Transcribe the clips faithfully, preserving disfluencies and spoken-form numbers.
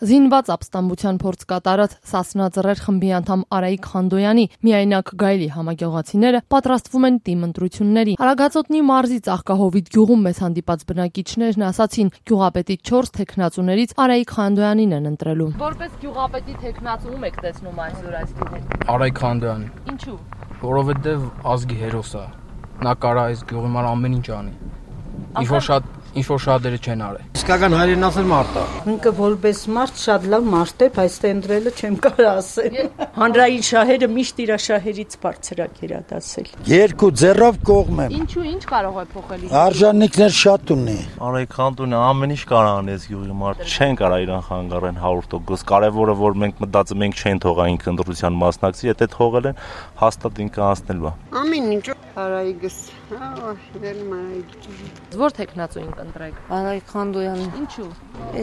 Զինված ապստամբության փորձ կատարած Սասնա Ծռեր խմբի անդամ Արայիկ Խանդոյանի միայնակ գայլի համագյուղացիները պատրաստվում են տիմ ընտրությունների։ Արագածոտնի մարզի Ծաղկահովիտ գյուղում մեզ հանդիպած բնակիչներն ասացին, գյուղապետի չորս թեկնածուներից Արայիկ Խանդոյանին են ընտրելու։ Որպես գյուղապետի թեկնածու եք տեսնում այսօր այս գյուղում։ Արայիկ Խանդոյանին։ Ինչու՞։ Որովհետև ազգի հերոս է։ Նա կարա այս գյուղի համար ամեն ինչ անի։ Ինչ-որ շատ ինչ-որ շատերը չեն արել։ Իսկական հայրենասեր մարդ է։ Ինքը որպես մարդ շատ լավ մարդ է, բայց տենդրելը չեմ կարող ասել։ Հանրային շահերը միշտ իր շահերից բարձրակ էր դասել։ Երկու ձեռով կողմ եմ։ Ինչու ինչ կարող է փոխել։ Արժանինքներ շատ ունի։ Արայիկ Խանդոյանը ամեն ինչ կարող անես գյուղի մարդ։ Չեն կարող իրան խանգարեն հարյուր տոկոս։ Կարևորը որ մենք մտածում ենք չեն թողա ինքը ընտրության մասնակցի, եթե թողել են, հաստատ ինքը անցնել բա։ Ամեն ինչ Արայիկս, վերում Արայիկ։ Որ թեկնածուին կընտրեք։ Արայիկ Խանդոյանին։ Ինչու։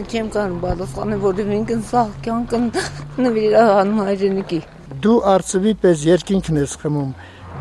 Չեմ կարող պատասխանել, որովհետև ինքն սաղ կյանքն նվիրանում հայրենիքի։ Դու արծվի պես երկինքն ես խմում,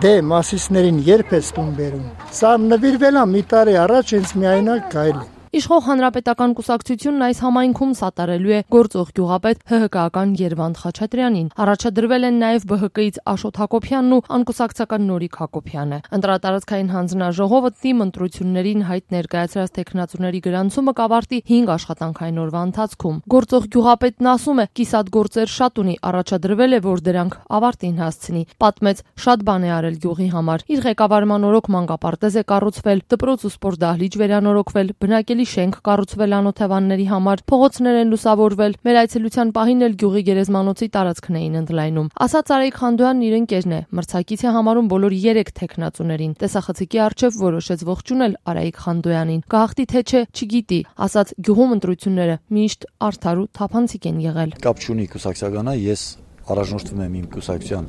դե մասիսներին երբ ես տուն բերում։ Սա նվիրվել է մի տարի առաջ ինձ միայնակ գայլ։ Իշխող հանրապետական կուսակցությունն այս համայնքում սատարելու է գործող գյուղապետ ՀՀԿ-ական Երվանդ Խաչատրյանին։ Առաջադրվել են նաև Բ Հ Կ-ից Աշոտ Հակոբյանն ու անկուսակցական Նորիկ Հակոբյանը։ Ընտրատարածքային հանձնաժողովը տիմ ընտրություններին հայտ ներկայացրած թեկնածուների գրանցումը կավարտի հինգ աշխատանքային օրվա ընթացքում։ Գործող գյուղապետն ասում է, կիսատ գործեր շատ ունի, առաջադրվել է, որ դրանք ավարտին հասցնի։ Պատմեց, շատ բան է արել գյուղի համար։ Իր ղեկավարման օրոք մանկապարտեզ է կառուցվել, դպրոց ու սպորտ դահլիճ վերանորոգվել, բնակելի շենք կառուցվել անօթևանների համար, փողոցներ են լուսավորվել, մեր այցելության պահին էլ գյուղի գերեզմանոցի տարածքն էին ընդլայնում։ Ասաց Արայիկ Խանդոյանն իր ընկերն է, մրցակից է համարում բոլոր երեք թեկնածուներին։ Տեսախցիկի առջև որոշեց ողջունել Արայիկ Խանդոյանին։ Գաղթի թե չէ, չգիտի, ասաց գյուղում ընտրությունները միշտ արդար ու թափանցիկ են եղել։ Կապ չունի կուսակցականա, ես առաջնորդվում եմ իմ կուսակցության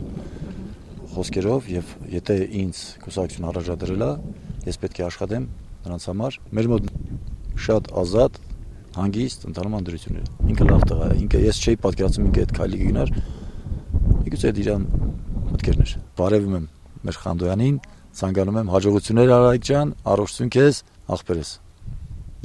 խոսքերով եւ եթե ինձ կուսակցություն առաջադրել է, ես պետք է աշխատեմ նրանց համար։ Մեր մոտ շատ ազատ, հանգիստ ընթանում անդրությունները։ Ինքը լավ տղա է, ինքը ես չէի պատկերացնում ինքը այդ քայլի գնար։ Միգուցե այդ իրան մտքերն էր։ Բարևում եմ մեր Խանդոյանին, ցանկանում եմ հաջողություններ Արայիկ ջան, առողջություն քեզ, աղբերս։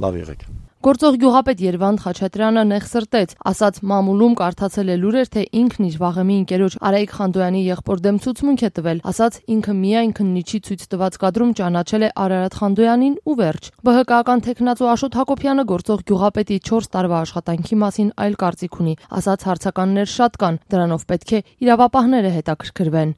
Լավ եղեք։ Գործող գյուղապետ Երվանդ Խաչատրյանը նեղ սրտեց, ասաց մամուլում կարդացել է լուրեր, թե ինքն իր վաղեմի ընկերոջ Արայիկ Խանդոյանի եղբոր դեմ ցուցմունք է տվել, ասաց ինքը միայն քննիչի ցույց տված կադրում ճանաչել է Արարատ Խանդոյանին ու վերջ։ Բ Հ Կ-ական թեկնածու Աշոտ Հակոբյանը գործող գյուղապետի չորս տարվա աշխատանքի մասին այլ կարծիք ունի, ասաց հարցականներ շատ կան, դրանով պետք է իրավապահները հետաքրքրվեն։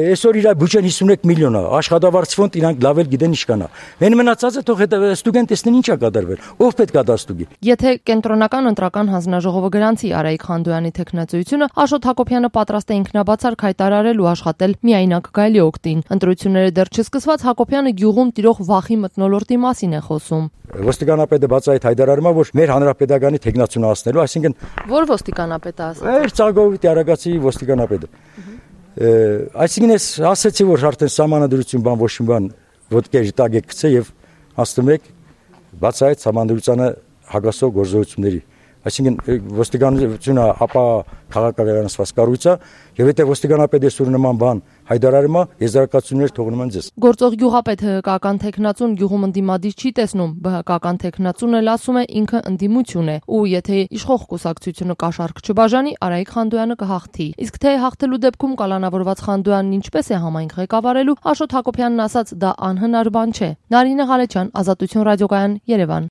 Այսօր իր բյուջեն հիսունեկ միլիոն է, աշխատավարձ ֆոնդ իրանք լավ էլ գիտեն ինչ կանա։ Մեն մնացածը թող հետո ստուդենտեսն ինչա կատարվել, ով պետք է Եթե կենտրոնական ընտրական հանձնաժողովը գրանցի Արայիկ Խանդոյանի թեկնածությունը, Աշոտ Հակոբյանը պատրաստ է ինքնաբացարկ հայտարարել ու աշխատել միայնակ գայլի օգտին։ Ընտրությունները դեռ չսկսված, Հակոբյանը գյուղում տիրող վախի մթնոլորտի մասին է խոսում։ Ոստիկանապետը բացահայտ հայտարարում է, որ մեր հանրապետականի թեկնածությունը ասնելու, այսինքն Որ ոստիկանապետը ասաց։ Մեր Ծաղկահովիտի Արագածի ոստիկանապետը։ Այսինքն ես ասացի, որ արդեն սահմանադրություն բան ոչ մի բան ոդկեժի տակ է գցել եւ ասում եք բացահայտ սահմանադրությանը հագասող գործողությունների։ Այսինքն ոստիկանությունը ապա քաղաքականացված կառույց է եւ եթե ոստիկանապետը սուր նման բան հայտարարում է, եզրակացություններ թողնում են ձեզ։ Գործող գյուղապետ ՀՀԿ-ական թեկնածուն գյուղում ընդդիմադիր չի տեսնում, Բ Հ Կ-ական թեկնածուն էլ ասում է ինքը ընդդիմություն է ու եթե իշխող կուսակցությունը կաշառք չբաժանի, Արայիկ Խանդոյանը կհաղթի։ Իսկ թե հաղթելու դեպքում կալանավորված Խանդոյանն ինչպես է համայնք ղեկավարելու, Աշոտ Հակոբյանն ասաց դա անհնար բան չէ։ Նարինե Ղալեչյան, Ազատություն ռադիոկայան, Երևան։